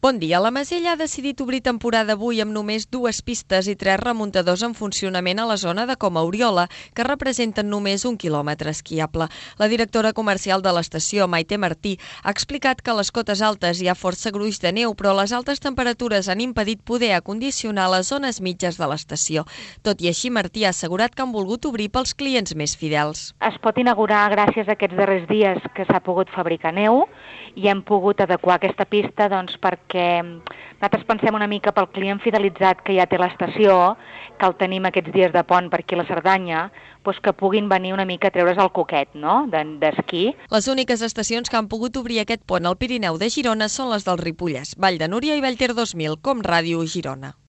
Bon dia. La Masella ha decidit obrir temporada avui amb només 2 pistes i 3 remuntadors en funcionament a la zona de Coma Oriola, que representen només 1 quilòmetre esquiable. La directora comercial de l'estació, Maite Martí, ha explicat que a les cotes altes hi ha força gruix de neu, però les altes temperatures han impedit poder acondicionar les zones mitges de l'estació. Tot i així, Martí ha assegurat que han volgut obrir pels clients més fidels. Es pot inaugurar gràcies a aquests darrers dies que s'ha pogut fabricar neu i hem pogut adequar aquesta pista perquè nosaltres pensem una mica pel client fidelitzat que ja té l'estació, que el tenim aquests dies de pont per aquí a la Cerdanya, que puguin venir una mica a treure's el coquet, no?, d'esquí. Les úniques estacions que han pogut obrir aquest pont al Pirineu de Girona són les del Ripollès, Vall de Núria i Vallter 2000, com Ràdio Girona.